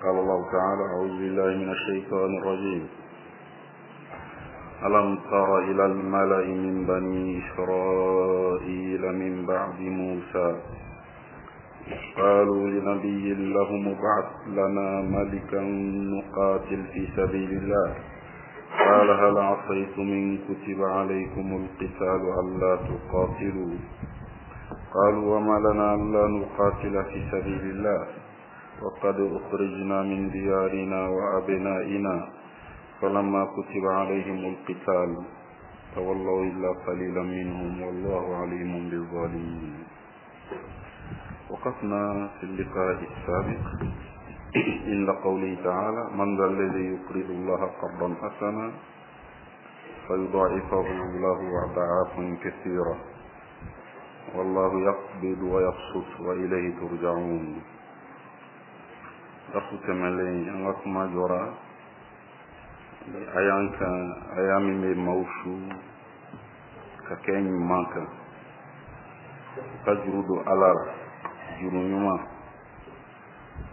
قال الله تعالى أعوذ بالله من الشيطان الرجيم ألم تر إلى الملأ من بني إسرائيل من بعد موسى قالوا لنبي لهم ابعث لنا ملكا نقاتل في سبيل الله قال هل عصيتم إن كتب عليكم القتال ألا تقاتلوا قالوا وما لنا ألا نقاتل في سبيل الله وقد أخرجنا من ديارنا وأبنائنا فلما كتب عليهم القتال تولوا إلا قليلا منهم والله عليم بالظالمين وقفنا في اللقاء السابق عند قوله تعالى من ذا الذي يقرض الله قرضا حسنا فيضاعفه له أضعافا كثيرة والله يقبض ويبسط وإليه ترجعون darsu tɛmɛlen an ka kuma jɔra aya kan aya min bɛ maaw su ka kɛ ɲuman kan ka juru don ala la juru ɲuman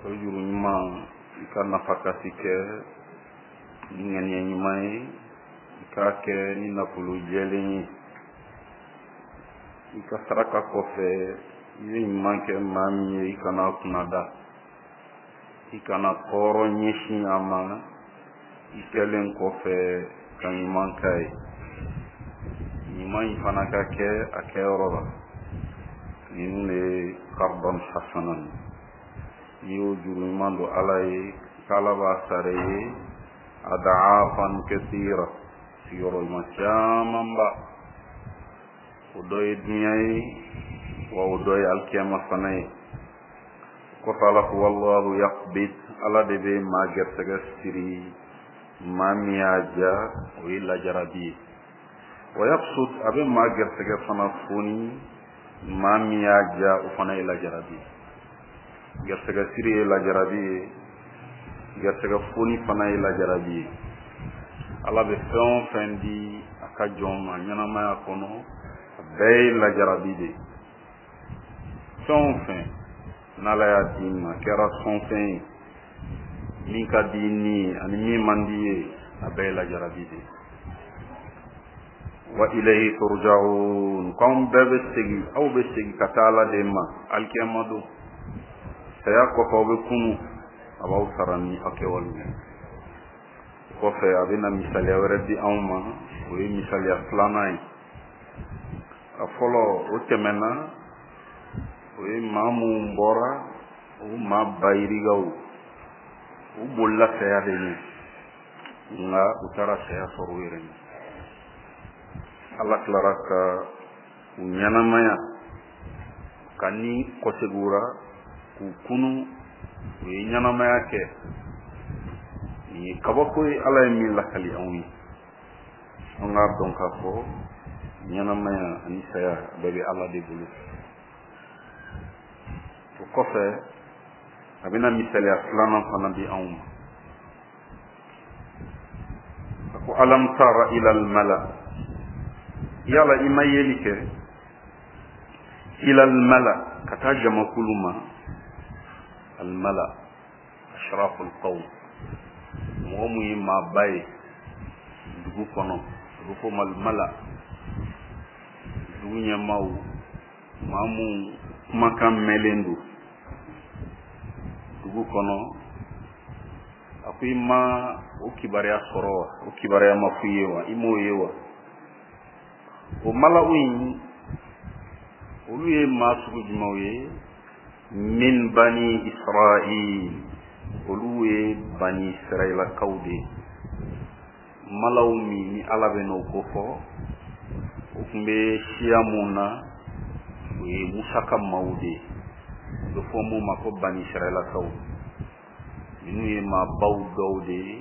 o juru ɲuman i ka nafakati kɛ ni ŋaniya ɲuman ye i k'a kɛ ni nafolo jɛlen ye i ka saraka kɔfɛ i bɛ ɲuman kɛ maa min ye i kana kunnada i kana tɔɔrɔ ɲɛsin a ma i kɛlen kɔfɛ ka ɲuman k'a ye ɲuman in fana ka kɛ a kɛyɔrɔ la ninnu de ye qardan hasanan n'i y'o juru ɲuman don ala ye k'ala b'a sara i ye adaafan kasira sigiyɔrɔma camanba o dɔ ye dunya ye wa o dɔ ye alikiyama fana ye kɔfɛ ala ko wallahu yaqbid ala de bɛ maa gɛrɛsɛgɛ siri maa min y'a ja o ye lajarabi ye wa yabsut a bɛ maa gɛrɛsɛgɛ fana foni maa min y'a ja o fana ye lajarabi ye gɛrɛsɛgɛ siri ye lajarabi ye gɛrɛsɛgɛ foni fana ye lajarabi ye ala bɛ fɛn o fɛn di a ka jɔn ma ɲɛnamaya kɔnɔ a bɛɛ ye lajarabi de ye fɛn o fɛn n'ala y'a d'i ma a kɛra sɔnfɛn ye min ka di ni ye ani min man di ye a bɛɛ ye lajarabi de ye wa ilayhi turja'un k'anw bɛɛ bɛ segin aw bɛ segin ka taa ala de ma alikiyama don saya kɔfɛ aw bɛ kunu a b'aw sara ni aw kɛwale ye kɔfɛ a bɛna misaliya wɛrɛ di anw ma o ye misaliya filanan ye a fɔlɔ o tɛmɛna o ye maa minnu bɔra o maa bayirigaw u bolila saya de ɲɛ nka u taara saya sɔrɔ u yɛrɛ ɲɛ ala tilara ka u ɲɛnamaya ka ni kɔsegin u ra k'u kunu u ye ɲɛnamaya kɛ nin ye kabako ye ala ye min lakali anw ye an k'a dɔn k'a fɔ ɲɛnamaya ani saya bɛɛ bɛ ala de bolo o kɔfɛ a bɛna misaliya filanan fana di anw ma a ko alam tara ila almala yala i ma yeli kɛ ila almala ka taa jamakulu ma almala ashraful qawm mɔgɔ mun ye maaba ye dugu kɔnɔ a bɛ f'o ma mala dugu ɲɛmaaw maa mun kumakan mɛnlen don dugu kɔnɔ a ko i ma o kibaruya sɔrɔ wa o kibaruya ma f'i ye wa i m'o ye wa o malaw in olu ye maa sugu jumɛnw ye min bani israil olu ye bani israilakaw de ye malaw min ni ala bɛ n'o kofɔ o tun bɛ siya mun na o ye musa ka maaw de ye o bɛ fɔ mun ma ko bani israilakaw ninnu ye maabaw dɔw de ye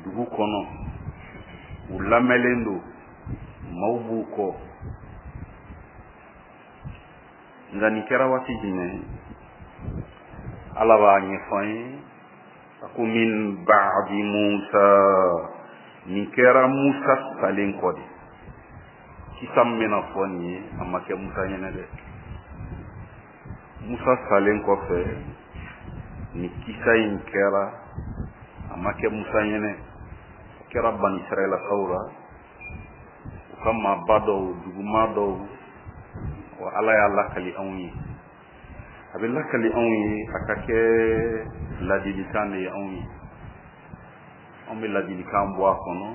dugu kɔnɔ u lamɛnlen don maaw b'u kɔ nka nin kɛra waati jumɛn ala b'a ɲɛfɔ an ye a ko min ba'di musa nin kɛra musa salen kɔ de kisa min bɛna fɔ nin ye a ma kɛ musa ɲɛnɛ dɛ musa salen kɔfɛ Nin kisa in kɛra, a ma kɛ Musa ɲɛnɛ, a kɛra Bani Israɛlakaw la, u ka maaba dɔw, duguma dɔw. Wa Ala y'a lakali anw ye, a bɛ lakali anw ye a ka kɛ ladilikan de ye anw ye. Anw bɛ ladilikan bɔ a kɔnɔ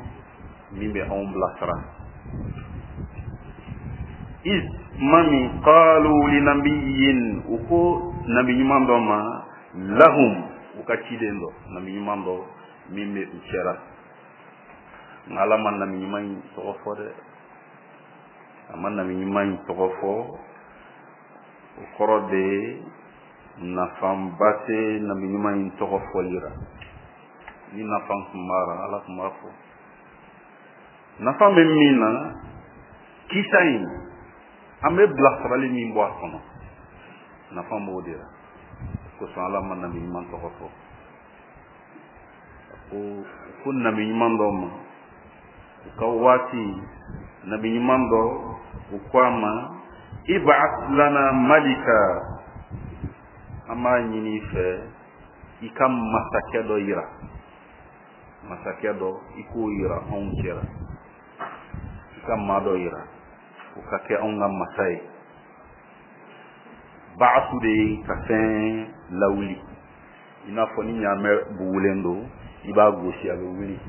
min bɛ anw bilasira. Iz tuma min qalu linabiyin, u ko nabi ɲuman dɔ ma, lahum, u ka ciden dɔ, nabi ɲuman dɔ min bɛ u cɛra. Nka Ala ma nabi ɲuman in tɔgɔ fɔ dɛ, a ma nabi ɲuman in tɔgɔ fɔ. O kɔrɔ de ye nafaba tɛ nabi ɲuman in tɔgɔ fɔli la. Ni nafa tun b'a la, Ala tun b'a fɔ. Nafa bɛ min na, kisa in, an bɛ bilasirali min bɔ a kɔnɔ, nafa b'o de la. Kosɔn Ala ma nabi ɲuman tɔgɔ fɔ. A ko nabi ɲuman dɔ ma u ka waati, nabi ɲuman dɔ, u ko a ma: ib'ath lana malika, an b'a ɲini i fɛ i ka masakɛ dɔ yira, masakɛ dɔ i k'o yira anw cɛra, i ka maa dɔ yira o ka kɛ anw ka masa ye. Ba'asu de ye ka fɛn lawuli, i n'a fɔ ni ɲaamɛ bugulen don, i b'a gosi, a bɛ wuli,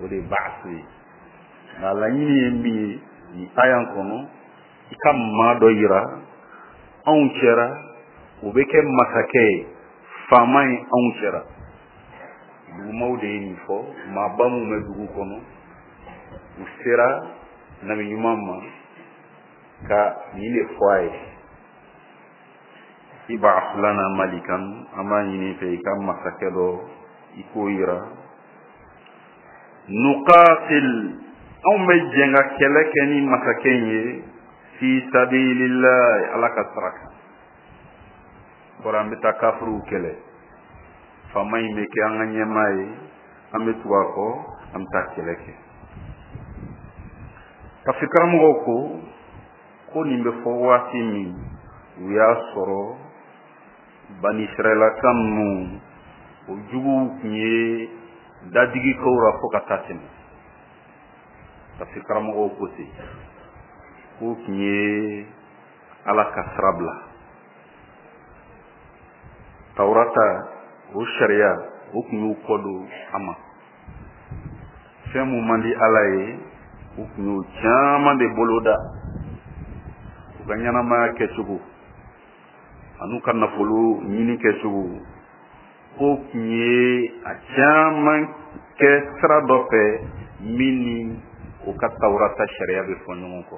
o de ye ba'asu ye. Nka laɲini ye min ye nin aya kɔnɔ, i ka maa dɔ yira anw cɛra, o bɛ kɛ masakɛ ye, faama ye anw cɛra. Dugumaw de ye nin fɔ, maaba minnu bɛ dugu kɔnɔ, u sera nabi ɲuman ma ka nin de fɔ a ye: ib'ath lana malikan, an b'a ɲini fɛ i ka masakɛ dɔ i k'o yira, nuqatil, anw bɛ jɛn ka kɛlɛ kɛ ni masakɛ in ye, fi sabilillah, Ala ka sira kan. Kɔrɔ an bɛ taa kafiriw kɛlɛ, faama in bɛ kɛ an ka ɲɛmaa ye, an bɛ tugu a kɔ, an bɛ taa kɛlɛ kɛ. Tafsir karamɔgɔw ko nin bɛ fɔ waati min, u y'a sɔrɔ Bani Israɛlaka ninnu, o juguw tun ye dadigi kɛw ra fo ka taa tɛmɛ. Tafsir karamɔgɔw ko ten, k'o tun ye Ala ka sira bila, Tawurata o sariya, o tun y'u kɔ don a ma. Fɛn mun man di Ala ye, u tun y'o caman de boloda u ka ɲɛnamaya kɛcogo an'u ka nafolo ɲini kɛcogo. K'o tun ye a caman kɛ sira dɔ fɛ min ni o ka Tawurata sariya bɛ fɔ ɲɔgɔn kɔ.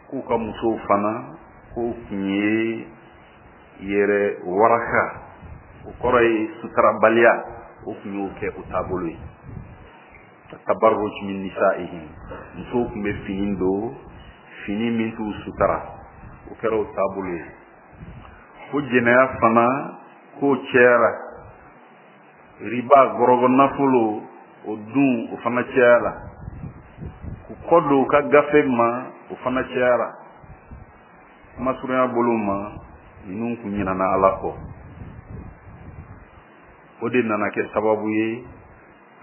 K'u ka musow fana, k'o tun ye yɛrɛ waraka, o kɔrɔ ye sutarabaliya, o tun y'o kɛ o taabolo ye, tabarruj min nisaihim. Musow tun bɛ fini don, fini min t'u sutara, o kɛra o taabolo ye. Ko jɛnɛya fana, k'o cayara, riba, gɔrɔgɔ nafolo, o dun, o fana cayara, k'u kɔ don u ka gafe ma, o fana cayara. Kuma surunya bolo ma, ninnu kun ɲinana Ala kɔ. O de nana kɛ sababu ye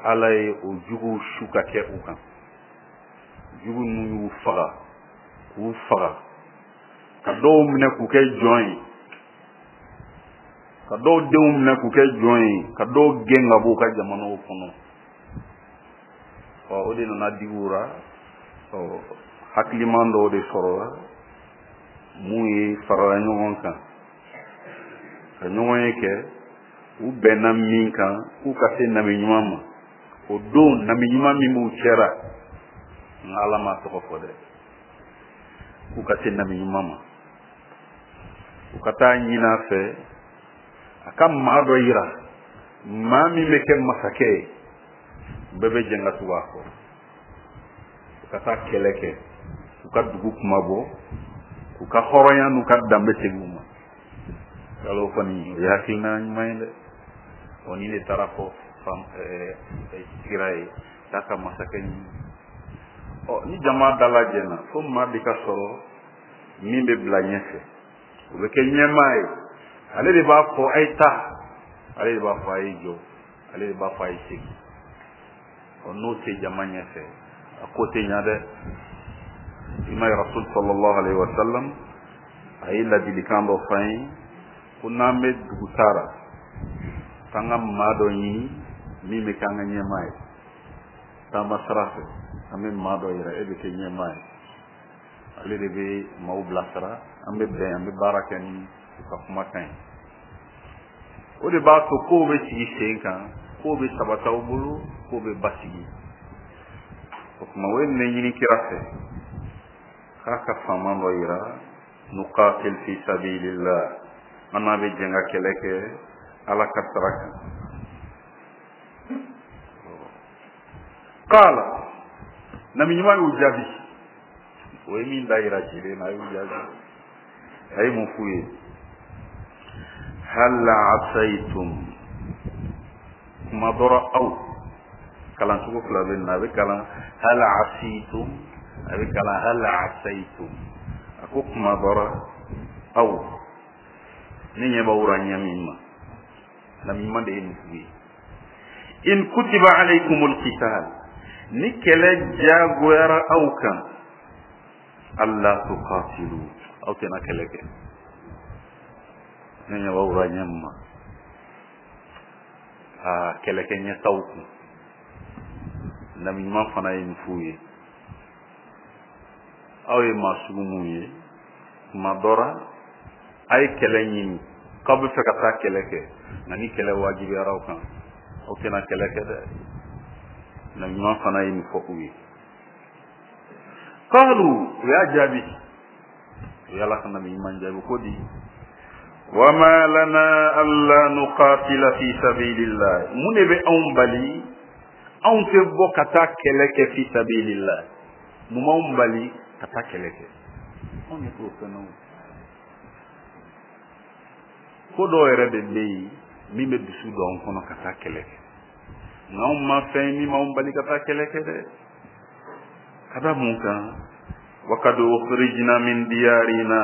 Ala ye o juguw su ka kɛ u kan. Jugu ninnu y'u faga, k'u faga, ka dɔw minɛ k'u kɛ jɔn ye, ka dɔw denw minɛ k'u kɛ jɔn ye, ka dɔw gɛn ka bɔ u ka jamanaw kɔnɔ. Ɔ, o de nana digi u ra. Ɔ, hakiliman dɔw de sɔrɔla mun ye farala ɲɔgɔn kan ka ɲɔgɔn ye kɛ, u bɛnna min kan, k'u ka se nabi ɲuman ma. O don nabi ɲuman min b'u cɛra, nka Ala m'a tɔgɔ fɔ dɛ, k'u ka se nabi ɲuman ma, u ka taa ɲini a fɛ a ka maa dɔ yira, maa min bɛ kɛ masakɛ ye, bɛɛ bɛ jɛn ka tugu a kɔ, u ka taa kɛlɛ kɛ k'u ka dugu kuma bɔ, k'u ka hɔrɔnya n'u ka danbe segin u ma. Yala o kɔni, o ye hakilina ɲuman ye dɛ. Ɔ, ni de taara fɔ kira ye k'a ka masakɛ ɲini. Ɔ, ni jama dalajɛna, fo maa de ka sɔrɔ min bɛ bila ɲɛfɛ, o bɛ kɛ ɲɛmaa ye. Ale de b'a fɔ a ye taa, ale de b'a fɔ a ye jɔ, ale de b'a fɔ a ye segin. Ɔ, n'o tɛ jama ɲɛfɛ, a ko tɛ ɲa dɛ. I ma ye, Rasul sallallahu alaihi wa sallam a ye ladilikan dɔ f'an ye ko n'an bɛ dugu taara, k'an ka maa dɔ ɲini min bɛ k'an ka ɲɛmaa ye. Taama sira fɛ, an bɛ maa dɔ yira, e bɛ kɛ ɲɛmaa ye, ale de bɛ maaw bilasira, an bɛ bɛn, an bɛ baara kɛ ni u ka kumakan ye. O de b'a to kow bɛ sigi sen kan, kow bɛ sabati aw bolo, kow bɛ basigi. O tuma, o ye nin ɲini kira fɛ k'a ka faama dɔ yira, nuqatil fi sabilillah, an n'a bɛ jɛn ka kɛlɛ kɛ Ala ka sira kan. Qala, nabi ɲuman y'u jaabi, o ye min da yira cilen na, a y'u jaabi, a ye mun f'u ye? Hal asaitum, kuma dɔrɔn aw kalancogo fila bɛ na, a bɛ kalan hal asitum, a bɛ kalan hal asaitum. A ko kuma dɔrɔn aw, ne ɲɛ b'aw ra ɲɛ min ma, nabi ɲuman de ye nin f'u ye. In kutiba alaykumul qital, ni kɛlɛ diyagoyara aw kan, alla tuqatilu, aw tɛna kɛlɛ kɛ. Ne ɲɛ b'aw ra ɲɛ min ma, aa, kɛlɛkɛ ɲɛ t'aw kun. Nabi ɲuman fana ye nin f'u ye: aw ye maa sugu mun ye, tuma dɔ ra a ye kɛlɛ ɲini k'aw bɛ fɛ ka taa kɛlɛ kɛ, nka ni kɛlɛ wajibiyara aw kan, aw tɛna kɛlɛ kɛ dɛ. Nabi ɲuman fana ye nin fɔ u ye. Qalu, u y'a jaabi, u y'Ala ka nabi ɲuman jaabi ko di? Wama lana alla nuqatila fi sabilillah, mun de bɛ anw bali anw tɛ bɔ ka taa kɛlɛ kɛ fi sabilillah? Mun b'anw bali ka taa kɛlɛ kɛ? Anw ɲɛ t'o fɛn na. O ko dɔw yɛrɛ de bɛ yen min bɛ dusu don anw kɔnɔ ka taa kɛlɛ kɛ, nka anw ma fɛn min b'anw bali ka taa kɛlɛ kɛ dɛ. Ka da mun kan? Wakad ukhrijna min diyarina,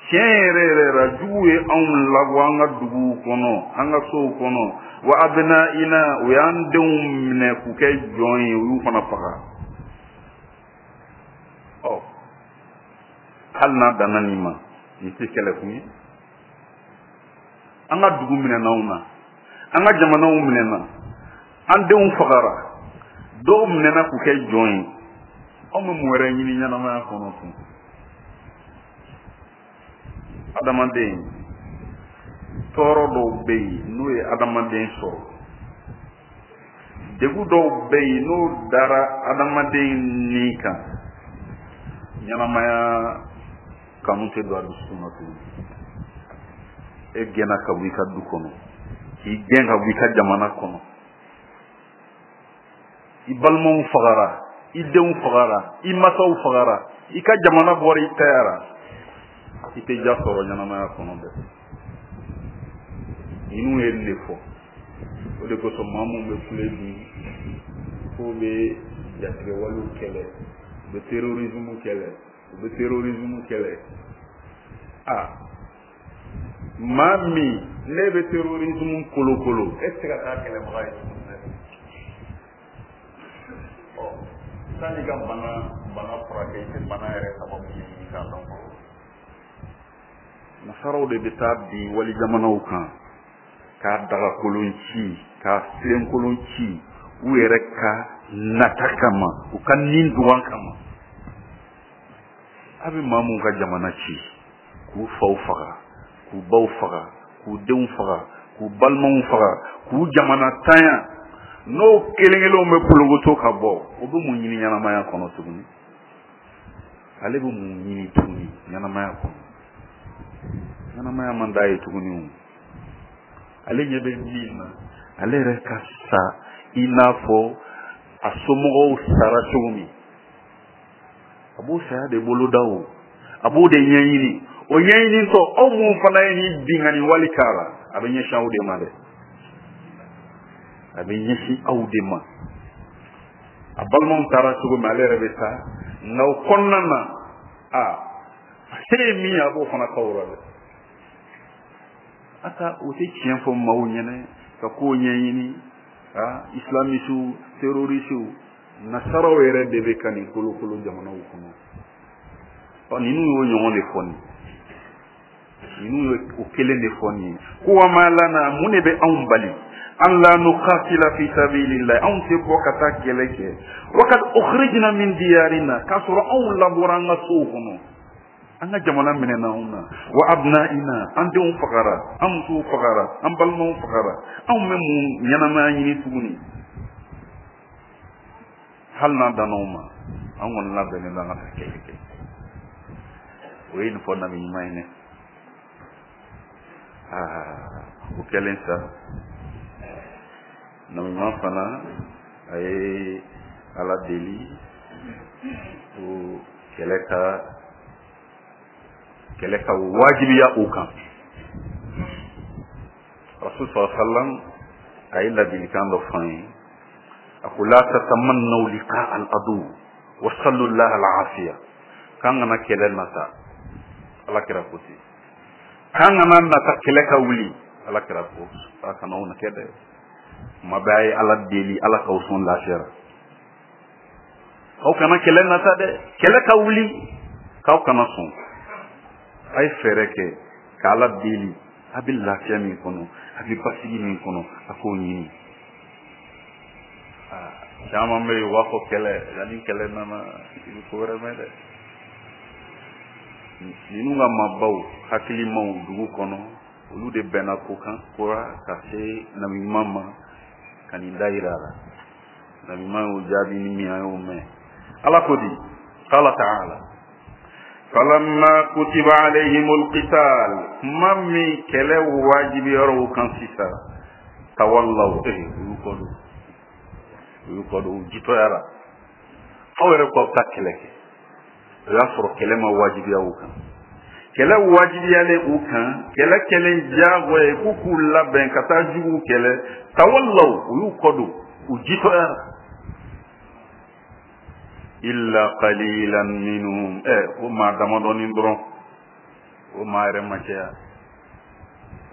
tiɲɛ yɛrɛ yɛrɛ la, juguw ye anw labɔ an ka duguw kɔnɔ, an ka sow kɔnɔ, wa abnaina, u y'an denw minɛ k'u kɛ jɔn ye, u y'u fana faga. Ɔ, hali n'a danna nin ma, nin tɛ kɛlɛkun ye. An ka dugu minɛna anw na, an ka jamanaw minɛna, an denw fagara, dɔw minɛna k'u kɛ jɔn ye. Anw bɛ mun wɛrɛ ɲini ɲɛnamaya kɔnɔ tun? Adamaden, tɔɔrɔ dɔw bɛ yen n'o ye adamaden sɔrɔ, degun dɔw bɛ yen n'o dara adamaden ni kan, ɲɛnamaya kanu tɛ don a dusukun na tuguni. E gɛnna ka bɔ i ka du kɔnɔ, k'i gɛn ka bɔ i ka jamana kɔnɔ, i balimaw fagara, i denw fagara, i masaw fagara, i ka jamana bɔra i tayara, i tɛ ja sɔrɔ ɲɛnamaya kɔnɔ dɛ. Ninnu ye nin de fɔ. O de kosɔn maa minnu bɛ kule bi k'o bɛ jatigɛwalew kɛlɛ, u bɛ terrorisme kɛlɛ, u bɛ terrorisme kɛlɛ, a maa min ne bɛ terrorisme kolokolo, e tɛ se ka taa kɛlɛbaga ye tuguni dɛ. Ɔ, sanni ka bana furakɛ, i tɛ bana yɛrɛ sababu ɲɛɲini k'a dɔn fɔlɔ. Nasaraw de bɛ taa bin wali jamanaw kan k'a dagakolon ci, k'a filenkolon ci, u yɛrɛ ka nata kama, u ka nin dugan kama. A bɛ maa mun ka jamana ci, k'u faw faga, k'u baw faga, k'u denw faga, k'u balimaw faga, k'u jamana tanya, n'o kelen kelenw bɛ polokoto ka bɔ, o bɛ mun ɲini ɲɛnamaya kɔnɔ tuguni? Ale bɛ mun ɲini tuguni ɲɛnamaya kɔnɔ? Ɲɛnamaya man d'a ye tuguni. O ale ɲɛ bɛ min na, ale yɛrɛ ka sa i n'a fɔ a somɔgɔw sara cogo min, a b'o saya de bolo da, o a b'o de ɲɛɲini. O ɲɛɲinitɔ, aw mun fana ye nin binkanni wale k'a la, a bɛ ɲɛsin aw de ma dɛ, a bɛ ɲɛsin aw de ma. A balimaw taara cogo min, ale yɛrɛ bɛ taa, nka o kɔnɔna na, a se ye min ye, a b'o fana k'aw la dɛ. Ata o tɛ tiɲɛ fɔ maaw ɲɛnɛ ka kow ɲɛɲini. Ah, islamisiw, terrorisiw, nasaraw yɛrɛ de bɛ ka nin kolokolo jamanaw kɔnɔ. Ɔ, ninnu y'o ɲɔgɔn de fɔ nin, ninnu ye o kelen de fɔ nin ye ko wa ma lana, mun de bɛ anw bali, an la nuqatila fi sabilillah, anw tɛ bɔ ka taa kɛlɛ kɛ, wa kad ukhrijna min diyarina, k'a sɔrɔ anw labɔra an ka sow kɔnɔ, an ka jamana minɛna anw na, wa abna'ina, an denw fagara, an musow fagara, an balimaw fagara, anw bɛ mun ɲɛnamaya ɲini tuguni? Hali n'a danna o ma, an kɔni labɛnnen don an ka taa kɛlɛ kɛ. O ye nin fɔ nabi ɲuman ye dɛ. Aa, o kɛlen sa, nabi ɲuman fana a ye Ala deli ko kɛlɛ ka wajibiya u kan. Rasul sallallahu alaihi wasallam a ye ladilikan dɔ f'an ye, a ko la tatamannaw liqa al adu wa sallu Allah al afiya, k'an kana kɛlɛ nata. Ala kira ko ten, k'an kana nata kɛlɛ ka wuli. Ala kira ko a kana o kɛ dɛ, kuma bɛɛ a ye Ala deli, Ala k'aw sɔn lafiya la. Aw kana kɛlɛ nata dɛ, kɛlɛ ka wuli, k'aw kana sɔn. A ye fɛɛrɛ kɛ ka Ala deli, a bɛ lafiya min kɔnɔ, a bɛ basigi min kɔnɔ, a k'o ɲini. Caman bɛ yen, u b'a fɔ kɛlɛ, nka ni kɛlɛ nana, i bɛ ko wɛrɛ mɛn dɛ. Ninnu ka maabaw hakilimaw dugu kɔnɔ, olu de bɛnna ko kan kora ka se nabi ɲuman ma ka nin da yira a la. Nabi ɲuman y'o jaabi ni min, an y'o mɛn. Ala ko di, qala ta'ala falamma kutiba alayhimul qital, kuma min kɛlɛ wajibiyara u kan sisan, tawallaw, u y'u kɔ don, u y'u kɔ don, u jitɔyara. Aw yɛrɛ ko aw bɛ taa kɛlɛ kɛ, o y'a sɔrɔ kɛlɛ ma wajibiya u kan. Kɛlɛ wajibiyalen u kan, kɛlɛ kɛlen diyagoya ye k'u k'u labɛn ka taa juguw kɛlɛ, tawallaw, u y'u kɔ don, u jitɔyara. Illa qalilan minhum, o maa damadɔnin dɔrɔn, o maa yɛrɛ ma caya.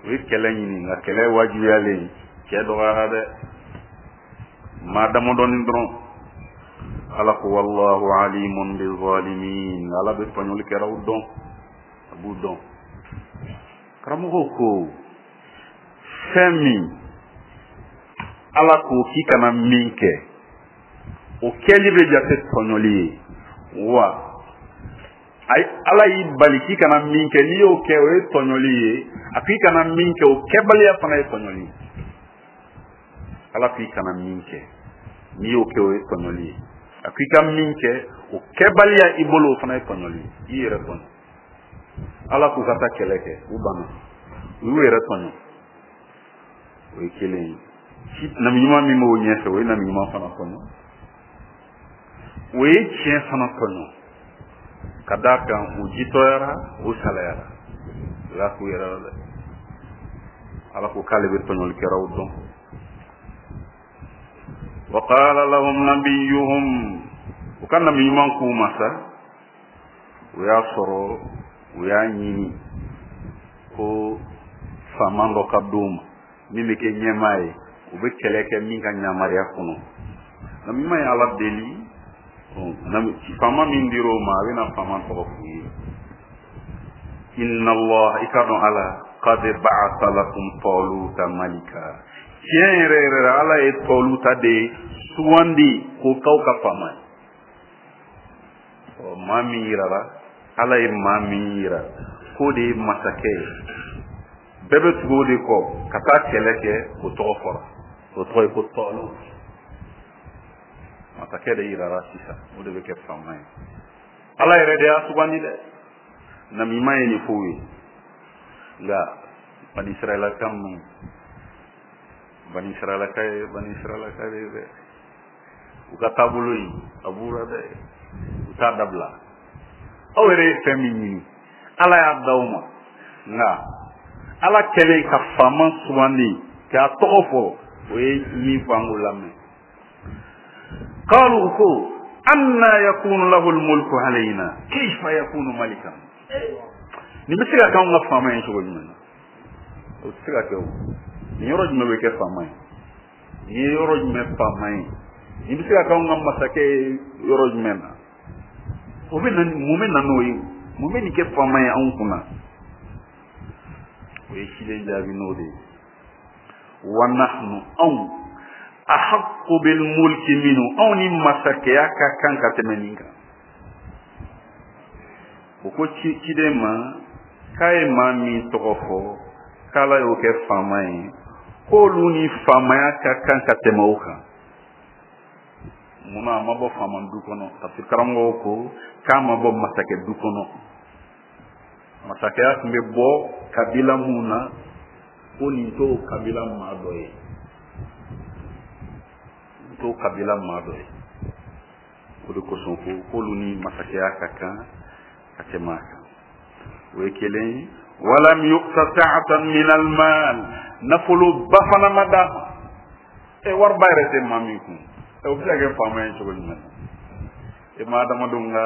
U ye kɛlɛ ɲini, nka kɛlɛ wajibiyalen, cɛ dɔgɔyara dɛ, maa damadɔnin dɔrɔn. Ala ko wallahu alimun bi zalimin, Ala bɛ tɔɲɔlikɛlaw dɔn, a b'u dɔn. Karamɔgɔw ko fɛn min Ala ko k'i kana min kɛ, o kɛli bɛ jate tɔɲɔli ye wa. Ala y'i bali k'i kana min kɛ, n'i y'o kɛ, o ye tɔɲɔli ye. A k'i kana min kɛ, o kɛbaliya fana ye tɔɲɔli ye. Ala k'i kana min kɛ, n'i y'o kɛ, o ye tɔɲɔli ye. A k'i ka min kɛ, o kɛbaliya i bolo, o fana ye tɔɲɔli ye, i yɛrɛ tɔɲɔ. Ala k'u ka taa kɛlɛ kɛ, u banna, u y'u yɛrɛ tɔɲɔ. O ye kelen ye. Nabi ɲuman min b'o ɲɛfɛ, o ye nabi ɲuman fana tɔɲɔ, o ye tiɲɛ fana tɔɲɔ, ka d'a kan u jitɔyara, u salayara, u y'a k'u yɛrɛ la dɛ. Ala ko k'ale bɛ tɔɲɔlikɛlaw dɔn. Wa qala lahum nabiyuhum, u ka nabi ɲuman k'u ma sa, o y'a sɔrɔ u y'a ɲini ko faama dɔ ka d'u ma min bɛ kɛ ɲɛmaa ye, u bɛ kɛlɛ kɛ min ka yamaruya kɔnɔ. Nabi ɲuman ye Ala deli, faama min dir'o ma, a bɛna faama tɔgɔ f'u ye. Inna Allah, i ka dɔn Ala, qad ba'atha lakum taluta malika, tiɲɛ yɛrɛ yɛrɛ la, Ala ye Tɔluta de sugandi k'o k'aw ka faama ye. Ɔ, maa min yirara, Ala ye maa min yira k'o de ye masakɛ ye, bɛɛ bɛ tugu o de kɔ ka taa kɛlɛ kɛ, o tɔgɔ fɔra, o tɔgɔ ye ko Tɔlu. Masakɛ de yirara sisan, o de bɛ kɛ faama ye. Ala yɛrɛ de y'a sugandi dɛ. Nabi ɲuman ye nin f'u ye, nka bani Israɛlaka ninnu, bani Israɛlaka ye bani Israɛlaka de ye dɛ, u ka taabolo in a b'u la dɛ, u t'a dabila. Aw yɛrɛ ye fɛn min ɲini, Ala y'a d'aw ma, nka Ala kɛlen ka faama sugandi k'a tɔgɔ fɔ, o ye min fɔ, an k'o lamɛn. Qalu, ko anna yakunu lahu almulku alayna kayfa yakunu malikan, nin bɛ se ka k'anw ka faama ye cogo jumɛn na? O tɛ se ka kɛ. O nin yɔrɔ jumɛn bɛ kɛ faama ye? Nin ye yɔrɔ jumɛn faama ye? Nin bɛ se ka kɛ anw ka masakɛ ye yɔrɔ jumɛn na? O bɛ na, mun bɛ na n'o ye? Mun bɛ nin kɛ faama ye anw kunna? O ye ciden jaabi n'o de ye: wa nahnu, anw, ahaqqu bil mulki minhu, anw ni masakɛya ka kan ka tɛmɛ nin kan. O ko ciden ma k'a ye maa min tɔgɔ fɔ k'Ala y'o kɛ faama ye, k'olu ni faamaya ka kan ka tɛmɛ o kan. Munna? A ma bɔ faama du kɔnɔ. Tafsir karamɔgɔw ko k'a ma bɔ masakɛ du kɔnɔ. Masakɛya tun bɛ bɔ kabila mun na, ko nin t'o kabila maa dɔ ye, nin t'o kabila maa dɔ ye. O de kosɔn ko k'olu ni masakɛya ka kan ka tɛmɛ a kan. O ye kelen ye. Walam yu'ta sa'atan min al-mal, nafoloba fana ma d'a ma. E, wariba yɛrɛ tɛ maa min kun, e, o bɛ se ka kɛ faama ye cogo jumɛn na? E ma adamadenw ka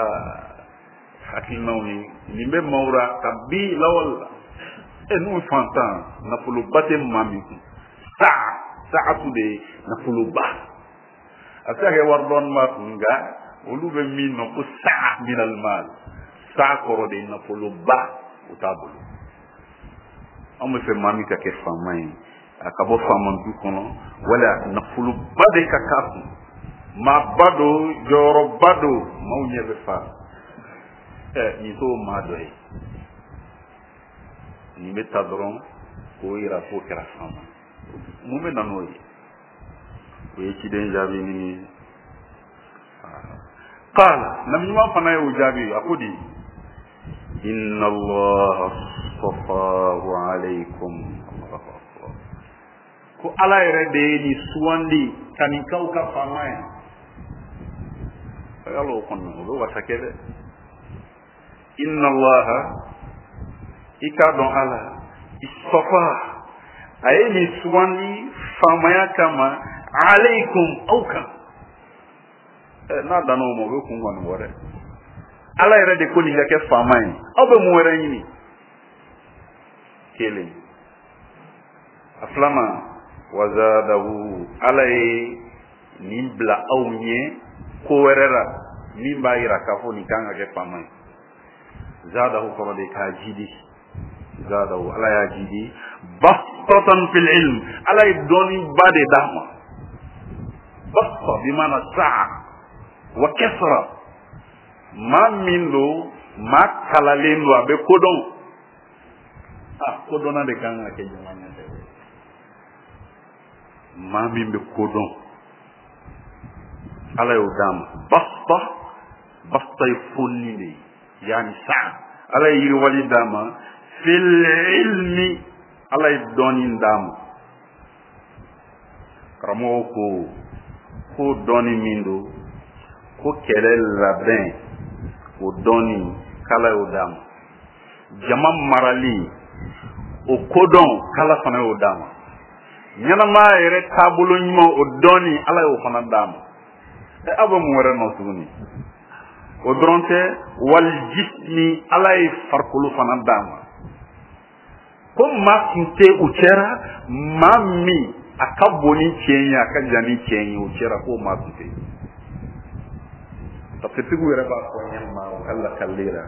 hakilinaw ye, nin bɛ maaw ra kabi lawale la. E, n'u fantan, nafoloba tɛ maa min kun, saa saatu de ye nafoloba. A bɛ se ka kɛ wari dɔɔni b'a kun, nka olu bɛ min nɔ ko saa minal mal, saa kɔrɔ de ye nafoloba, o t'a bolo. Anw bɛ fɛ maa min ka kɛ faama ye, a ka bɔ faama du kɔnɔ, wala nafoloba de ka k'a kun, maaba don, jɔyɔrɔba don, maaw ɲɛ bɛ fa. Ɛ, nin t'o maa dɔ ye. Nin bɛ ta dɔrɔn k'o yira k'o kɛra faama. Mun bɛ na n'o ye? O ye ciden jaabi ni ye. Qala, nabi ɲuman fana y'o jaabi. A ko di: inna allaha astafahu alaykum. Allahu akbar! Ko Ala yɛrɛ de ye nin sugandi ka nin k'aw ka faama ye. Yala o kɔni, o bɛ wasa kɛ dɛ. Inna allaha, i k'a dɔn Ala, istafa, a ye nin sugandi faamaya kama, alaykum, aw kan. N'a danna o ma, o bɛ kun kɔni bɔ dɛ. Ala yɛrɛ de ko nin ka kɛ faama ye, aw bɛ mun wɛrɛ ɲini? Kelen. A filanan, wazadahu, Ala ye nin bila aw ɲɛ ko wɛrɛ la min b'a yira k'a fɔ nin kan ka kɛ faama ye. Zadahu kɔrɔ de k'a jidi. Zadahu, Ala y'a jidi, bastatan fil ilm, Ala ye dɔnniba de d'a ma. Basta bimana sa'a wa kasra. Maa min don, maa kalalen don, a bɛ kodɔn. A kodɔnna de kan ka kɛ jama ɲɛfɛ. Maa min bɛ kodɔn, Ala y'o d'a ma. Basta, basta ye fonni de ye, yaani sa'a. Ala ye yiriwali d'a ma. Fil ilmi, Ala ye dɔnni d'a ma. Karamɔgɔw ko ko dɔnni min don, ko kɛlɛ labɛn, o dɔnni k'Ala y'o d'a ma. Jama marali, o kodɔn, k'Ala fana y'o d'a ma. Ɲɛnamaya yɛrɛ taabolo ɲuman, o dɔnni, Ala y'o fana d'a ma. Ɛ, aw bɛ mun wɛrɛ nɔ tuguni? O dɔrɔn tɛ. Wal jismi, Ala ye farikolo fana d'a ma. Ko maa tun tɛ u cɛra maa min a ka bon ni cɛ ye, a ka jan ni cɛ ye, o cɛra, k'o maa tun tɛ. Tafsirtigiw yɛrɛ b'a fɔ ɲɛ ma u ka lakali la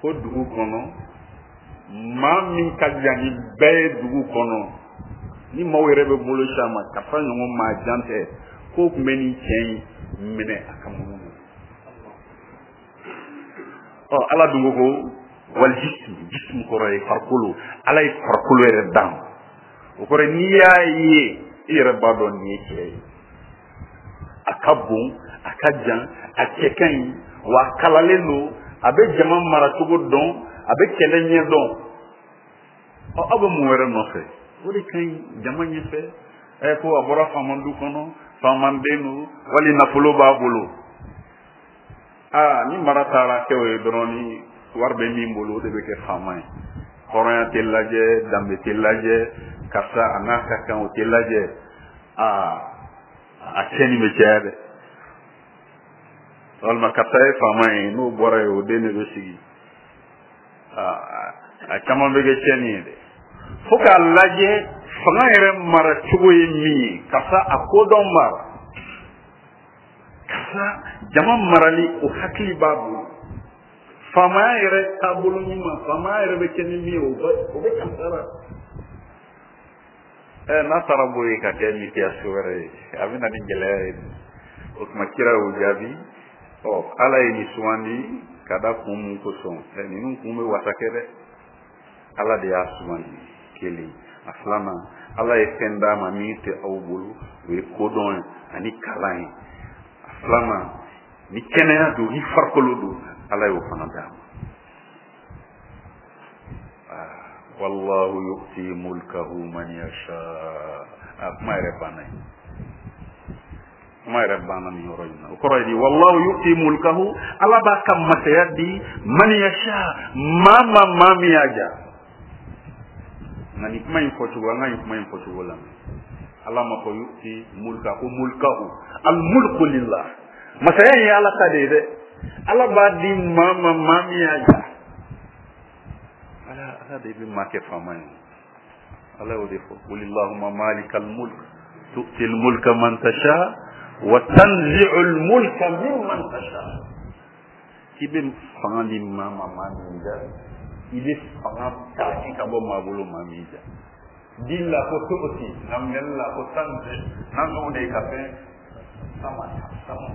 ko dugu kɔnɔ, maa min ka jan ni bɛɛ ye dugu kɔnɔ, ni maaw yɛrɛ bɛ bolo ci a ma, karisa ɲɔgɔn maa jan tɛ, k'o tun bɛ nin cɛ in minɛ a ka munu. Ɔ, Ala dun ko ko wal jism. Jism kɔrɔ ye farikolo. Ala ye farikolo yɛrɛ d'a ma. O kɔrɔ ye, n'i y'a ye, i yɛrɛ b'a dɔn nin ye cɛ ye. A ka bon, a ka jan, a cɛ ka ɲi, wa a kalalen don, a bɛ jama maracogo dɔn, a bɛ kɛlɛ ɲɛ dɔn. Ɔ, aw bɛ mun wɛrɛ nɔfɛ? O de ka ɲi jama ɲɛfɛ. Ɛ, ko a bɔra faama du kɔnɔ, faamaden don, wali nafolo b'a bolo. Aa, ni mara taara kɛ o ye dɔrɔn, ni wari bɛ min bolo, o de bɛ kɛ faama ye. Hɔrɔnya tɛ lajɛ, danbe tɛ lajɛ, karisa a n'a ka kan, o tɛ lajɛ. Aa, a tiɲɛni bɛ caya dɛ. Walima karisa ye faama ye, n'o bɔra yen, o den de bɛ sigi. Aa, a caman bɛ kɛ tiɲɛni ye dɛ. Fo k'a lajɛ fanga yɛrɛ mara cogo ye min ye, karisa a kodɔn mara, karisa jama marali o hakili b'a bolo, faamaya yɛrɛ taabolo ɲuman, faamaya yɛrɛ bɛ kɛ ni min ye, o bɛ karisa la. N'a taara bɔ yen ka kɛ mikiyaso wɛrɛ ye, a bɛ na ni gɛlɛya ye. O tuma kira y'o jaabi. Ala ye nin sugandi ka da kun mun kosɔn? Ninnu kun bɛ wasa kɛ dɛ. Ala de y'a sugandi kelen. A filanan, Ala ye fɛn d'a ma min tɛ aw bolo, o ye kodɔn ye ani kalan ye. A filanan, ni kɛnɛya don, ni farikolo don, Ala y'o fana d'a ma. Wallahu yu'ti mulkahu man yasha. A kuma yɛrɛ banna yen. Kuma yɛrɛ banna nin yɔrɔ in na. O kɔrɔ ye di? Wallahu yu'ti mulkahu, Ala b'a ka masaya di man yasha, maa ma maa min y'a ja. Nka nin kuma in fɔcogo, an ka nin kuma in fɔcogo lamɛn. Ala ma fɔ yu'ti mulka, ko mulkahu, al mulku lillah. Masaya in ye Ala ta de ye dɛ. Ala b'a di maa ma maa min y'a ja. Ala de bɛ maa kɛ faama ye. Ala y'o de fɔ. Qul illahumma malikal mulk tu'til mulka man tasha wa tanzi'ul mulka mimman tasha. K'i bɛ fanga di maa ma maa min ja, i bɛ fanga ta ka bɔ maa bolo maa min ja. Di la ko tu'ti, nka minɛli la ko tanzi, n'an o de ye ka fɛn sama sama.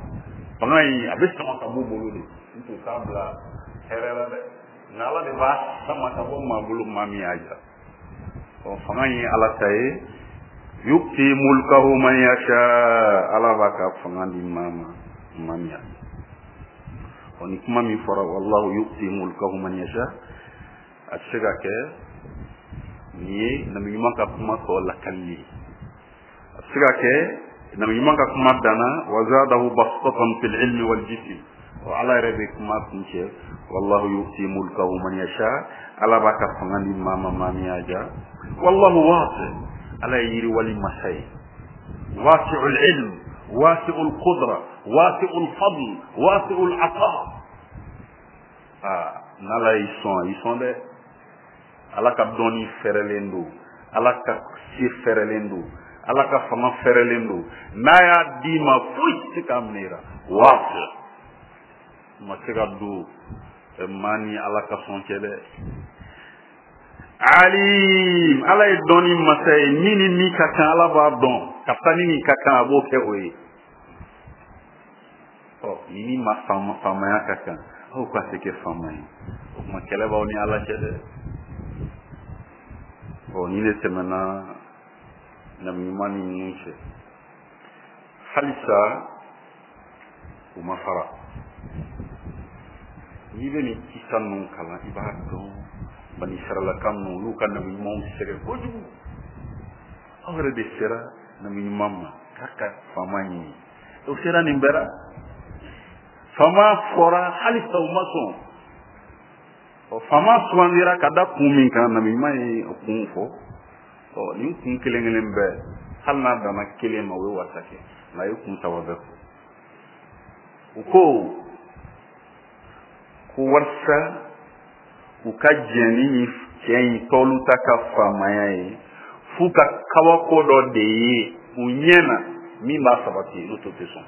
Fanga in a bɛ sama ka bɔ bolo de, n t'o t'a bila hɛrɛ la dɛ. Nka Ala de b'a sama ka bɔ maa bolo maa min y'a ja. Fanga in ye Ala ta ye. Yu'ti mulkahu man yasha, Ala b'a ka fanga di maa ma maa min y'a ja. Nin kuma min fɔra, wallahu yu'ti mulkahu man yasha, a tɛ se ka kɛ nin ye nabi ɲuman ka kuma tɔ lakali ye. A tɛ se ka kɛ nabi ɲuman ka kuma danna wa zadahu bastatan fil ilmi wal jism. Ala yɛrɛ bɛ kuma kuncɛ, wallahu yu'ti mulkahu man yasha, Ala b'a ka fanga di maa ma maa min y'a ja. Wallahu wasi, Ala ye yiriwali masa ye. Wasi'ul ilm, wasi'ul qudra, wasi'ul fadl, wasi'ul ata. N'Ala y'i sɔn, a y'i sɔn dɛ. Ala ka dɔnni fɛrɛlen don, Ala ka se fɛrɛlen don, Ala ka fanga fɛrɛlen don. N'a y'a d'i ma, foyi tɛ se k'a minɛ i la. Wasi, ma se ka don maa ni Ala ka sɔn cɛ dɛ. Alim, Ala ye dɔnni masa ye, min ni min ka kan Ala b'a dɔn, ka taa ni min ka kan a b'o kɛ o ye. Ni min ma faamaya ka kan, aw ka se kɛ faama ye. O tuma kɛlɛ b'aw ni Ala cɛ dɛ. Ni ne tɛmɛna nabi ɲuman ni ninnu cɛ, halisa u ma fara. N'i bɛ nin kisa ninnu kalan, i b'a dɔn bani Israɛlaka ninnu, olu ka nabi ɲumanw sɛgɛn kojugu. Aw yɛrɛ de sera nabi ɲuman ma k'a ka faama ɲini. O sera nin bɛɛ la. Faama fɔra halisa u ma sɔn. Faama sugandira ka da kun min kan, nabi ɲuman ye o kun fɔ. Nin kun kelen kelen bɛɛ, hali n'a danna kelen ma, o ye wasa kɛ. Nka a ye kun saba bɛɛ fɔ. U ko ko walasa u ka jɛn ni nin cɛ in Tɔluta ka faamaya ye, f'u ka kabako dɔ de ye u ɲɛ na min b'a sabati, n'o tɛ sɔn.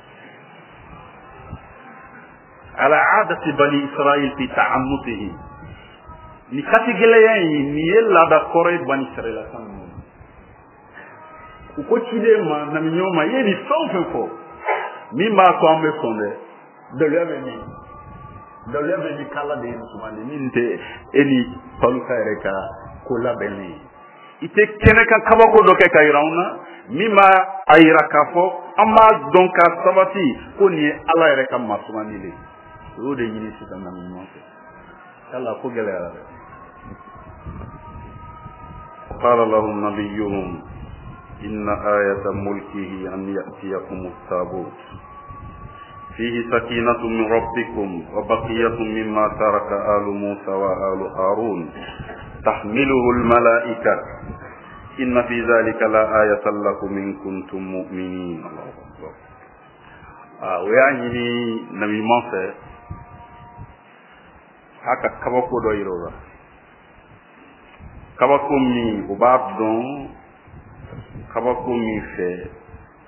Ala aadati bani Israil fi ta'annutihi. Ni katigɛlɛya in, nin ye laada kɔrɔ ye bani Israila kan ninnu. U ko ciden ma, nabi ɲuman ma, i ye nin fɛn o fɛn fɔ, min b'a to an bɛ sɔn dɛ, daluya bɛ min? Daluya bɛ min k'Ala de ye nin sugandi, min tɛ e ni Tɔluta yɛrɛ ka ko labɛnnen ye. I tɛ kɛnɛ kan kabako dɔ kɛ ka yira anw na, min b'a a yira k'a fɔ an b'a dɔn k'a sabati ko nin ye Ala yɛrɛ ka maa sugandi de ye. O y'o de ɲini sisan nabi ɲuman fɛ. Yala ko gɛlɛyara dɛ. قال لهم نبيهم إن آية ملكه أن يأتيكم التابوت فيه سكينة من ربكم وبقية مما ترك آل موسى وآل هارون تحمله الملائكة إن في ذلك لآية لكم إن كنتم مؤمنين. الله أكبر. ويعني نبي موسى haka kabako dɔ yira o la. Kabako min o b'a dɔn kabako min fɛ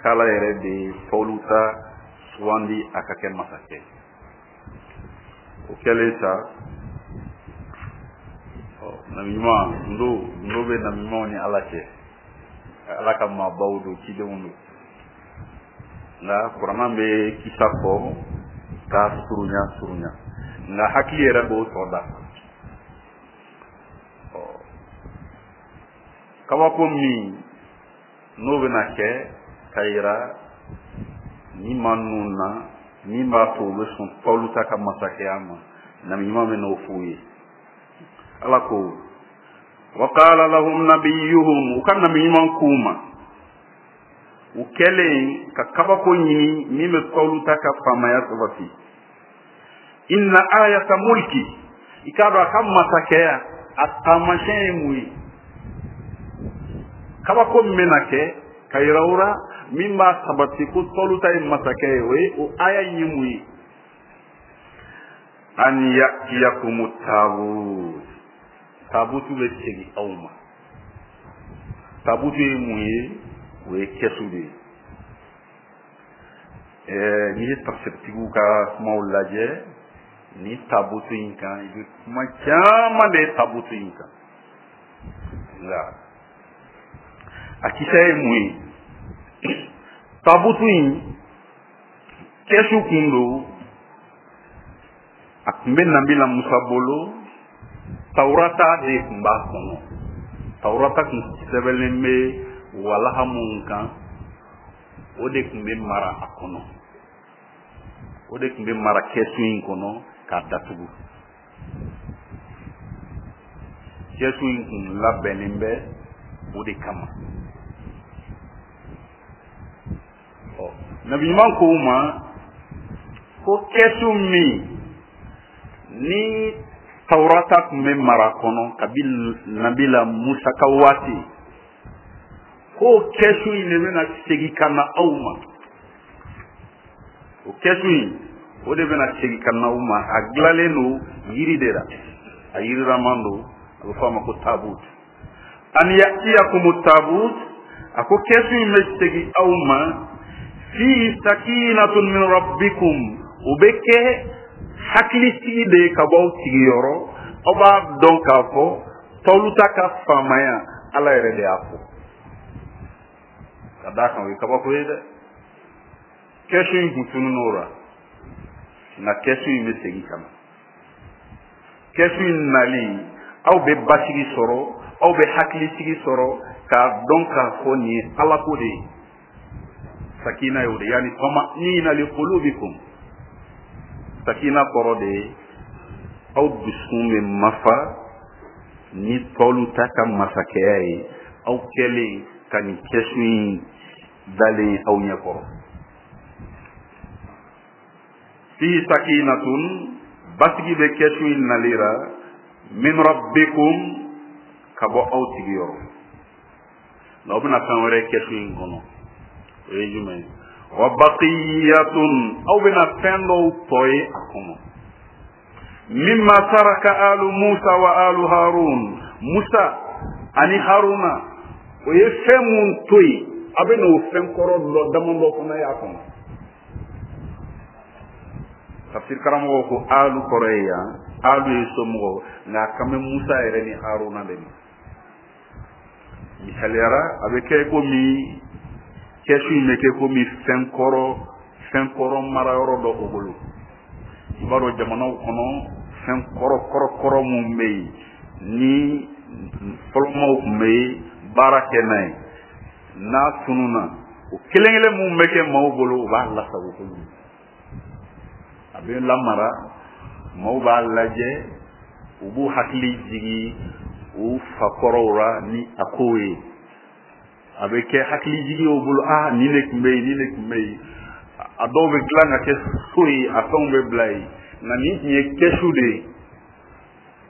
k'Ala yɛrɛ de ye Tɔluta sugandi a ka kɛ masakɛ. O kɛlen sa, nabi ɲuman gundo gundo bɛ nabi ɲumanw ni Ala cɛ, Ala ka maabaw don, cidenw don. Nka kuranna bɛ kisa fɔ k'a surunya surunya, nka hakili yɛrɛ b'o tɔ dafa. Kabako min n'o bɛna kɛ ka yira ni maa ninnu na, min b'a to u bɛ sɔn Tɔluta ka masakɛya ma, nabi ɲuman bɛ n'o f'u ye. Ala ko wa qala lahum nabiyuhum, u ka nabi ɲuman k'u ma, u kɛlen ka kabako ɲini min bɛ Tɔluta ka faamaya sabati, inna ayata mulki, i k'a dɔn a ka masakɛya a taamasiyɛn ye mun ye? Kabako min bɛna kɛ ka yira u la min b'a sabati ko Tɔluta ye masakɛ ye, o ye o aya in ye mun ye? An ya'tiyakumu taabut, taabutu bɛ segin aw ma. Taabutu ye mun ye? O ye kɛsu de ye. N'i ye tafsiritigiw ka kumaw lajɛ ni taabutu in kan, i bɛ kuma caman de ye taabutu in kan. Nka a kisɛ ye mun ye? Taabutu in kɛsu kun don, a tun bɛ nabila Musa bolo, Tawurata de tun b'a kɔnɔ. Tawurata tun sɛbɛnlen bɛ walaha mun kan, o de tun bɛ mara a kɔnɔ, o de tun bɛ mara kɛsu in kɔnɔ k'a datugu. Kɛsu in tun labɛnnen bɛ o de kama. Ɔ, nabi ɲuman ko u ma ko kɛsu min ni Tawurata tun bɛ mara kɔnɔ kabi nabila Musa ka waati, ko kɛsu in de bɛna segin ka na aw ma. O kɛsu in, o de bɛna segin ka na aw ma. A dilanlen don yiri de la, a yiriraman don, a bɛ fɔ a ma ko taabut. An ya'tiyakumu taabut, a ko kɛsu in bɛ segin aw ma, fi sakinatun min rabbikum, o bɛ kɛ hakilisigi de ye ka bɔ aw sigiyɔrɔ. Aw b'a dɔn k'a fɔ Tɔluta ka faamaya Ala yɛrɛ de y'a fɔ. Ka d'a kan o ye kabako ye dɛ. Kɛsu in kun tununn'o la, nka kɛsu in bɛ segin ka na. Kɛsu in nali, aw bɛ basigi sɔrɔ, aw bɛ hakilisigi sɔrɔ k'a dɔn k'a fɔ nin ye Ala ko de ye. Sakina ye o de ye, yani tama'nina li qulubikum. Sakina kɔrɔ de ye aw dusukun bɛ mafa ni Tɔluta ka masakɛya ye, aw kɛlen ka nin kɛsu in dalen aw ɲɛkɔrɔ. Fi sakinatun, basigi bɛ kɛsu in nalira, min rabbikum, ka bɔ aw sigiyɔrɔ. Nka aw bɛna fɛn wɛrɛ kɛsu in kɔnɔ, o ye jumɛn ye? Wa baqiyatun, aw bɛna fɛn dɔw tɔ ye a kɔnɔ. Mimma taraka alu Musa wa alu Harun, Musa ani Haruna o ye fɛn mun to yen, a bɛ n'o fɛn kɔrɔ dɔ damadɔ fana ye a kɔnɔ. Tafsir karamɔgɔw ko alu kɔrɔ ye yan, alu ye somɔgɔw, nka a kan bɛ Musa yɛrɛ ni Haruna de ma. Misaliyara, a bɛ kɛ komi kɛsu in bɛ kɛ komi fɛn kɔrɔ marayɔrɔ dɔ o bolo. I b'a dɔn jamanaw kɔnɔ fɛn kɔrɔ kɔrɔ kɔrɔ mun bɛ yen ni fɔlɔmaw tun bɛ baara kɛ n'a ye, n'a tununna, o kelen kelen mun bɛ kɛ maaw bolo, u b'a lasago kojugu, a bɛ lamara, maaw b'a lajɛ, u b'u hakili jigin u fakɔrɔw la ni a kow ye. A bɛ kɛ hakili jigin o bolo, aa nin de tun bɛ yen, nin de tun bɛ yen. A dɔw bɛ dilan ka kɛ so ye, a fɛnw bɛ bila yen. Nka nin tun ye kɛsu de ye.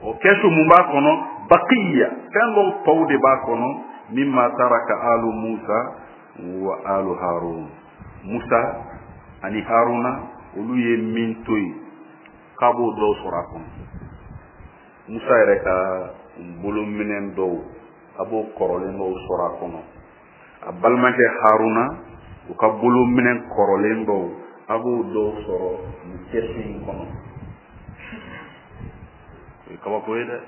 O kɛsu mun b'a kɔnɔ? Bakiya, fɛn dɔw tɔw de b'a kɔnɔ. Mimma taraka alu Musa wa alu Harun, Musa ani Haruna olu ye min to yen, k'a b'o dɔw sɔrɔ a kɔnɔ. Musa yɛrɛ ka bolominɛn dɔw A b'o kɔrɔlen dɔw sɔrɔ a kɔnɔ. A balimakɛ Haruna, u ka bolominɛ kɔrɔlen dɔw, a b'o dɔw sɔrɔ nin kɛsu in kɔnɔ. O ye kabako ye dɛ.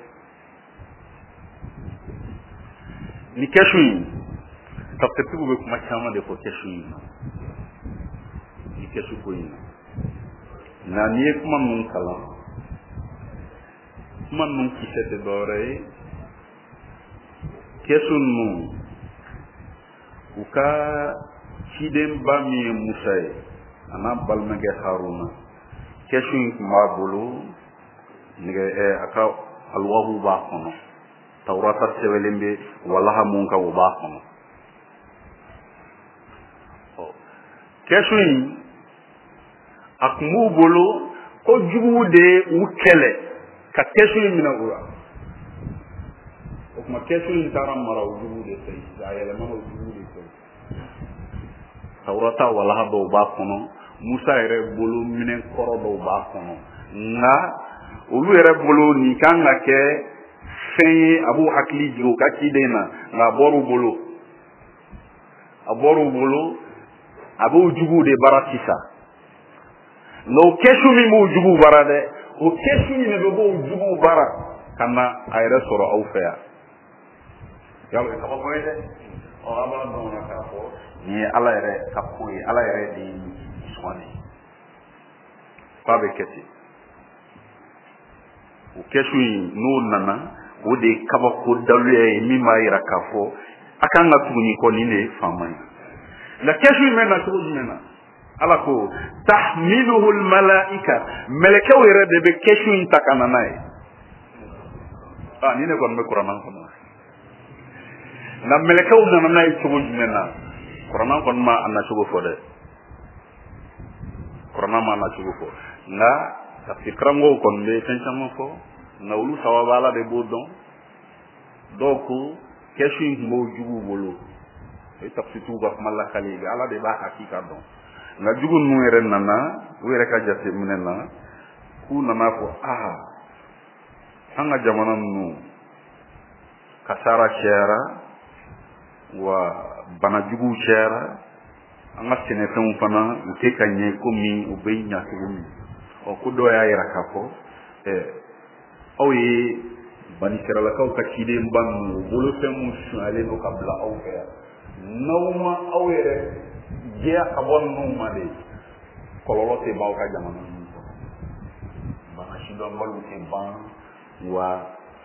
Nin kɛsu in, tafsirtigiw bɛ kuma caman de fɔ kɛsu in na, nin kɛsu ko in na. Nka n'i ye kuma ninnu kalan, kuma ninnu kisɛ tɛ dɔwɛrɛ ye. Kɛsu ninnu, u ka cidenba min ye Musa ye, a n'a balimakɛ Haruna, kɛsu in tun b'a bolo, nɛgɛ a ka alwahu b'a kɔnɔ, tawurata sɛbɛnlen bɛ walaha mun kan, o b'a kɔnɔ. Kɛsu in a tun b'u bolo ko juguw de ye u kɛlɛ ka kɛsu in minɛ u la. O tuma kɛsu in taara mara o juguw de fɛ, a yɛlɛmana o juguw de fɛ. Tawurata walaha dɔw b'a kɔnɔ, Musa yɛrɛ bolo minɛn kɔrɔ dɔw b'a kɔnɔ. Nka olu yɛrɛ bolo nin kan ka kɛ fɛn ye a b'u hakili jigin u ka ciden na, nka a bɔr'u bolo, a bɔr'u bolo, a b'u juguw de bara sisan. Nka o kɛsu min b'u juguw bara dɛ, o kɛsu in de bɛ b'o juguw bara ka na a yɛrɛ sɔrɔ aw fɛ yan. Yalo kabako ye dɛ. Ɔ, an b'a dɔn na k'a fɔ nin ye Ala yɛrɛ ka ko ye, Ala yɛrɛ de ye nin sugandi k'a bɛ kɛ ten. O kɛsu in n'o nana, o de ye kabako daluya ye min b'a yira k'a fɔ a kan ka tugu nin kɔ, nin de ye faama ye. Nka kɛsu in bɛ na cogo jumɛn na? Ala ko tahmiluhu almalaika, mɛlɛkɛw yɛrɛ de bɛ kɛsu in ta ka na n'a ye. Nin de kɔni bɛ kuranɛ kɔnɔ. Nka mɛlɛkɛw nana n'a ye cogo jumɛn na? Kuranɛ kɔni ma a nacogo fɔ dɛ, kuranɛ ma a nacogo fɔ. Nka tafsir karamɔgɔw kɔni bɛ fɛn caman fɔ, nka olu sababu Ala de b'o dɔn. Dɔw ko kɛsu in tun b'o juguw bolo, o ye tafsirtigiw ka kuma lakali ye, Ala de b'a hakika dɔn. Nka jugu ninnu yɛrɛ nana u yɛrɛ ka jateminɛ na, k'u nana fɔ aa, an ka jamana ninnu kasara cayara, wa banajuguw cayara, an ka sɛnɛfɛnw fana u tɛ ka ɲɛ komi u bɛ ɲa cogo min. Ɔ, ko dɔw y'a yira k'a fɔ aw ye banisiralakaw ka cidenba ninnu, u bolofɛn mun sonyalen don ka bila aw fɛ yan, n'aw ma aw yɛrɛ jɛya ka bɔ ninnu ma de, kɔlɔlɔ tɛ ban aw ka jamana ninnu kɔnɔ. Bana sidɔnbaliw tɛ ban, wa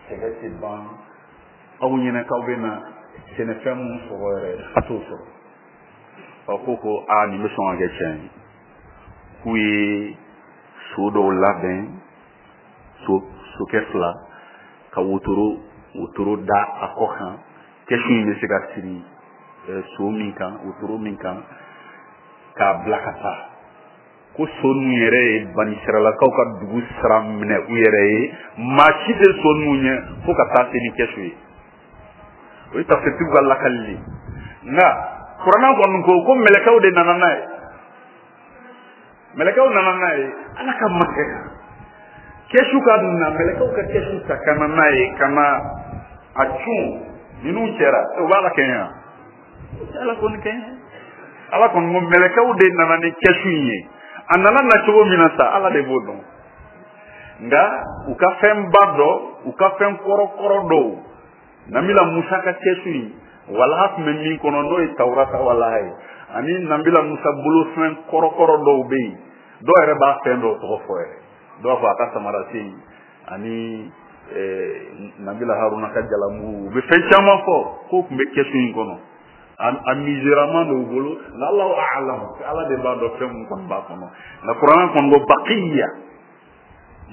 sɛgɛ tɛ ban. Aw ɲɛna k'aw bɛ na sɛnɛfɛn mun sɔrɔ yɛrɛ, a t'o sɔrɔ. Ɔ, ko aa, nin bɛ sɔn ka kɛ tiɲɛ ye. K'u ye so dɔw labɛn, sokɛ fila, ka wotoro da a kɔ kan, kɛsu in bɛ se ka siri so min kan, wotoro min kan, k'a bila ka taa. Ko so ninnu yɛrɛ ye banisiralakaw ka dugu sira minɛ u yɛrɛ ye, maa si tɛ so ninnu ɲɛ fo ka taa se ni kɛsu ye. O ye tafsirtigiw ka lakali ye. Nka kuranɛ kɔni ko mɛlɛkɛw de nana n'a ye, mɛlɛkɛw nana n'a ye. Ala ka masakɛ kan kɛsu ka na, mɛlɛkɛw ka kɛsu ta ka na n'a ye, ka na a cun ninnu cɛra. O b'a la kɛɲɛ wa? Ala kɔni kɛɲɛ. Ala kɔni ko mɛlɛkɛw de nana ni kɛsu in ye. A nana na cogo min na sa, Ala de b'o dɔn. Nka u ka fɛnba dɔ, u ka fɛn kɔrɔkɔrɔ dɔw, Nabila Musa ka kɛsu in walaha tun bɛ min kɔnɔ, n'o ye Tawurata walaha ye, ani Nabila Musa bolofɛn kɔrɔkɔrɔ dɔw bɛ yen, dɔw yɛrɛ b'a fɛn dɔw tɔgɔ fɔ yɛrɛ, dɔw b'a fɔ a ka samarasen ani Nabila Haruna ka jalamugu, u bɛ fɛn caman fɔ k'o tun bɛ kɛsu in kɔnɔ. A misiraman dɔw bolo, nka Allahu a'lam, Ala de b'a dɔn fɛn mun kɔni b'a kɔnɔ. Nka kuranɛ kɔni ko baqiya,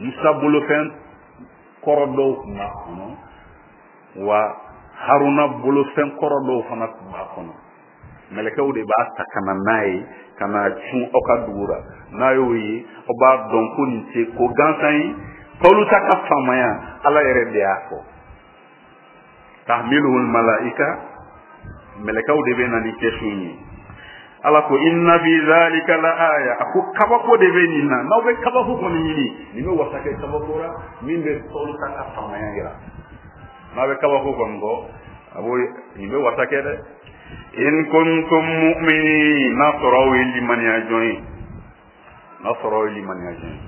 Musa bolofɛn kɔrɔ dɔw tun b'a kɔnɔ, wa Haruna bolofɛn kɔrɔ dɔw fana tun b'a kɔnɔ. Mɛlɛkɛw de b'a ta ka na n'a ye, ka na cun aw ka dugu la. N'a y'o ye, aw b'a dɔn ko nin tɛ ko gansan ye. Tawuta ka faamaya, Ala yɛrɛ de y'a fɔ. Tahmiluhu almalaika, mɛlɛkɛw de bɛ na ni kɛsu in ye. Ala ko inna fi zalika la aya, a ko kabako de bɛ nin na. N'aw bɛ kabako kɔni ɲini, nin bɛ wasa kɛ kabako la min bɛ Tawuta ka faamaya yira. N'a bɛ kabako kɔni kɔ, A b'o nin bɛ wasa kɛ dɛ. In kuntum mu'minin, n'a sɔrɔ aw ye limaniya jɔn ye, n'a sɔrɔ aw ye limaniya jɔn ye.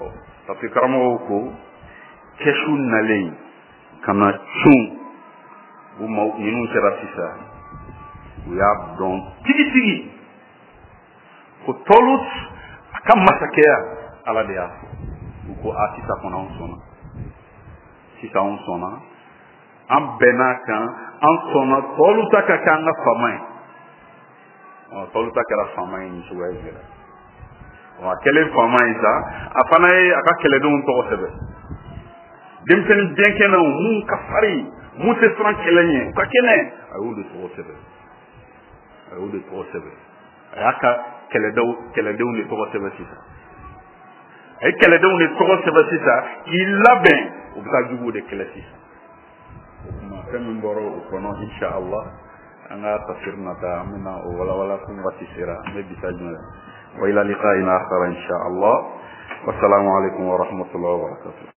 Ɔ, parce que karamɔgɔw ko kɛsu nalen ka na cun u ma ninnu kɛra sisan, u y'a dɔn tigitigi ko Tɔlut a ka masakɛya, Ala de y'a fɔ. U ko a, sisan kɔnɔ anw sɔnna, sisan anw sɔnna, an bɛn'a kan, an sɔnna Tɔluta ka kɛ an ka faama ye. Ɔ, Tɔluta kɛra faama ye nin cogoya in de la. Ɔ, a kɛlen faama ye sa, a fana ye a ka kɛlɛdenw tɔgɔ sɛbɛn, denmisɛnnin biɲɛkɛnɛw mun ka farin, mun tɛ siran kɛlɛ ɲɛ, u ka kɛnɛ, a y'o de tɔgɔ sɛbɛn, a y'o de tɔgɔ sɛbɛn. A y'a ka kɛlɛdenw de tɔgɔ sɛbɛn sisan, a ye kɛlɛdenw de tɔgɔ sɛbɛn sisan k'i labɛn, u bɛ taa juguw de kɛlɛ sisan. O tuma, fɛn min bɔra o kɔnɔ, insha Allah, an ka tafsir nata, an bɛna o walawala. Kun waati sera, an bɛ bisa jumɛn. Wa ila liqa'in akhar, insha Allah. Wassalamu alaikum wa rahmatullahi wa barakatuh.